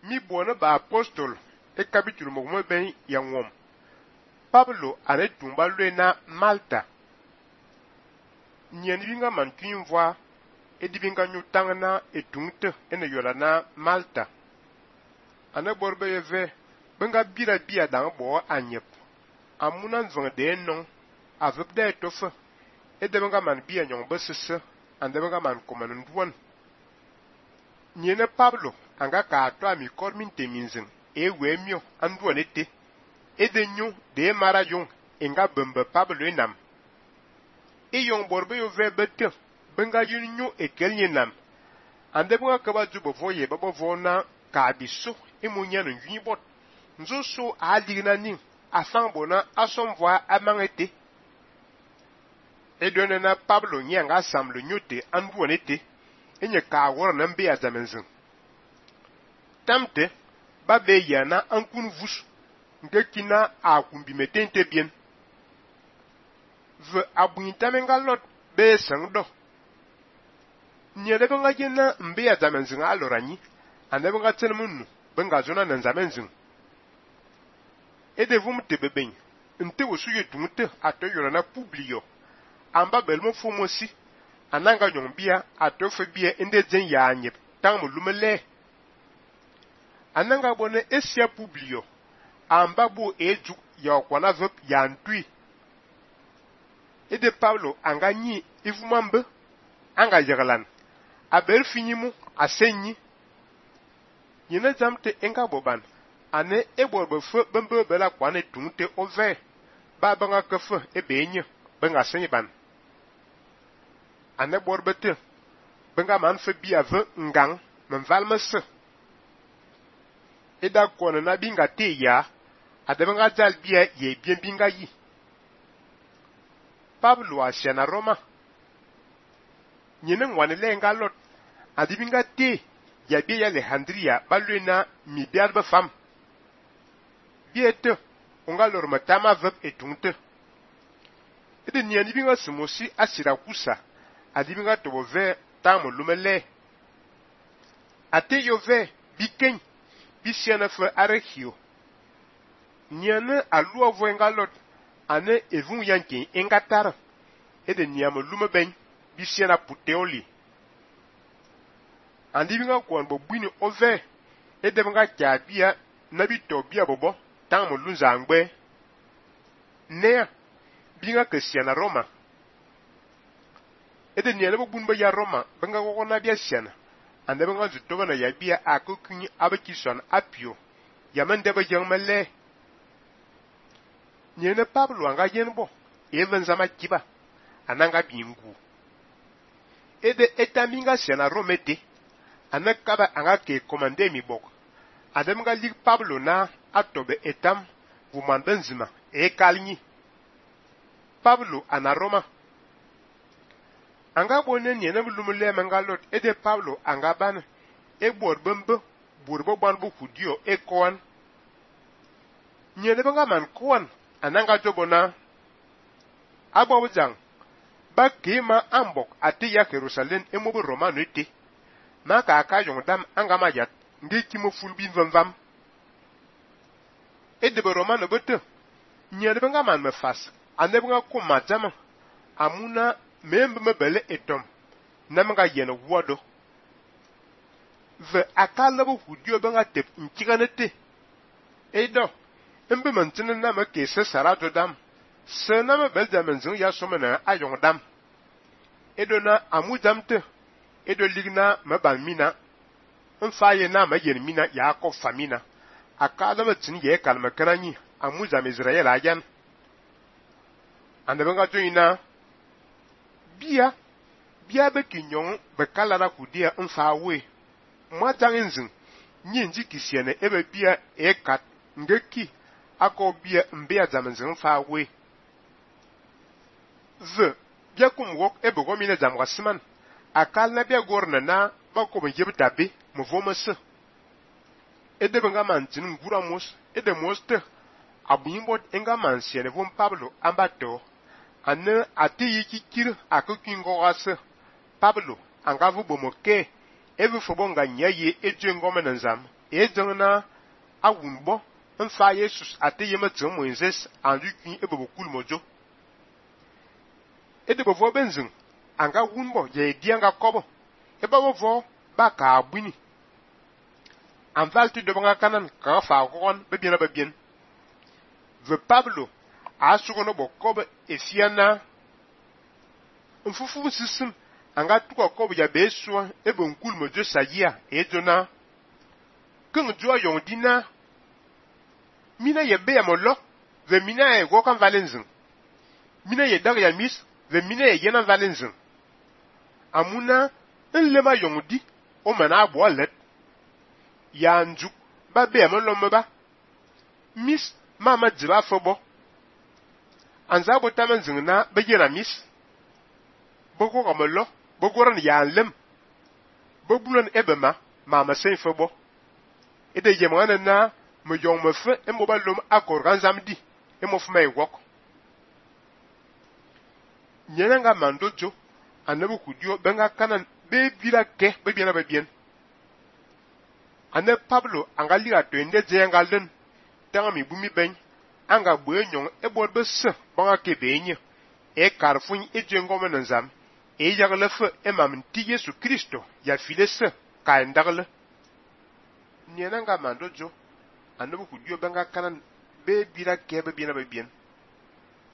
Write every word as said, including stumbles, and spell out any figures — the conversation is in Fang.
mi bona ba apostol e capítulo mo mo ben ya ngom. Pablo ane tumba lue na Malta. Nyen binga man tuin voa e di binga nyutanga na etungte ene yola na Malta. Ane borbe yeve benga bira bia dang bo anyep. Amuna nvang de non avep de tofe e de benga man bia nyong besese ande benga man koman nduan. Nyene Pablo anga ka ato ami kormin teminzin e wemio anduan ete e de nyu de mara yung enga bembe Pablo enam. E yon borbe yo ve bete benga yun nyu e kelnye nam. Ande benga kaba jubo voye babo vona ka abiso e munyano yunibot. Nzo so a ligna ning afan bona asom voa amangete. E done na Pablo nyanga assemble nyote anduan ete enye ka wor na mbe azamenzin. Tamte ba be yana ankun vus nge kina a kumbi metente bien. Ve abuinta menga lot be sangdo. Nyele benga jena mbe azamenzin alorani ande benga tsenmunu benga zona na nzamenzin. E de vum te beben nte wosu ye tungte ato yora na publio amba belmo fumosi ananga nyombia ato febia ende zen ya anyep tang lumele ananga bone esia publio amba bo eju ya okwana vep ya ntui ede Paulo anga nyi ifumambe anga yagalan aber finimu asenyi yene zamte enga boban ane eborbe fe bembe bela kwane tungte ove ba banga kefe ebenye benga senyi ban ane borbete benga man fe bia ve ngang men valmese eda kone na binga te ya ade benga zal bia ye bien binga yi. Pablo asiana Roma nyene ngwane lenga lot adi binga te ya bia ya Alejandria balwena mi biarbe fam biete onga lor matama vep etungte ede nyani binga simosi asira kusa adi binga tobo ve tamo lumele ate yo ve biken bisiana fe arekio nyane alua voenga lot ane evun yankin engatar ede nyamo lume ben bisiana puteoli andi binga kwan bo bwini ove ede binga kyabia nabi tobia bobo tamo lunzangbe ne binga kesiana Roma ede nyane bo bunba ya Roma benga gogo na bia siana ande benga zutoba na ya bia akokuni abekison apio yamande ba jangmale nyene Pablo anga yenbo even zama kiba ananga bingu ede etaminga siana Romete anakaba anga ke komande mi bok ademga lig Pablo na atobe etam vumandenzima e kalni Pablo ana Roma anga bone nyene mulumule mangalot ede Pablo anga ban e borbembe burbo banbu kudio e koan nyene banga man koan ananga jobona agbawo jang ba kima ambok ati ya Jerusalem e mobo Romano ete maka aka yongdam anga mayat ngi kimo fulbin vamvam e de Romano bote nyene banga man me fas ane banga ko majama amuna membe mebele etom namanga yene wodo ve akala bo hudio banga tep nkiganete edo embe mantene na ma ke se sarajo dam se na me beldamen zin ya somena ayong dam edo na amu damte edo ligna ma balmina mfaye na ma yen mina ya ko famina akala ma tin ye kalma kanani amu zam Israel ayan ande banga joina bia bia be kinyon be kalara kudia mfawe mwa jangenzin nyinji kisiene ebe bia e kat ngeki ako bia mbia zamenzin mfawe ze bia kum wok ebe gomine zamwa siman akal na bia gorna na bako be yebta be mvomese ede benga mantin ngura mos ede moste abuimbot enga mansiene vom Pablo ambato ane ati yiki kir akokingo ase Pablo anga vu bomoke evu fobonga nyaye eje ngome nzam e jengna a wunbo mfa Jesus ate yema tseng Moses andu kwin e bobo kul mojo e de bovo benzing anga wunbo ye di anga kobo e ba bovo ba ka abuni anvalti de banga kanan ka fa gon be bien ba bien ve Pablo a sugono bokobo e fiana mfufu sisim anga tuko kobo ya beso e bon kul mojo sayia e jona kung jua yong dina mina ye be amolo ve mina e go kan valenzin mina ye dag ya mis ve mina ye yenan valenzin amuna nlema yong di o mana abo let ya njuk ba be amolo mba mis mama jiba fobo anza bo tamen zingna be yena mis bogo kamolo bogo ran ya lem bobulan ebema mama sen fobo ede yemana na me yong me fe e mo ba lom akor kan zamdi e mo fme wok nyena nga mandojo anabu kudio benga kanan be bila ke be bien be bien ane Pablo anga liga to ende je nga len tanga mi bumi ben anga bo enyon e bo be se banga ke be enye e karfun e je ngome nzam e yagle fe e mam ti Yesu Kristo ya file se ka ndagle nyena nga mandojo anabu kudio benga kanan be bila ke be bien be bien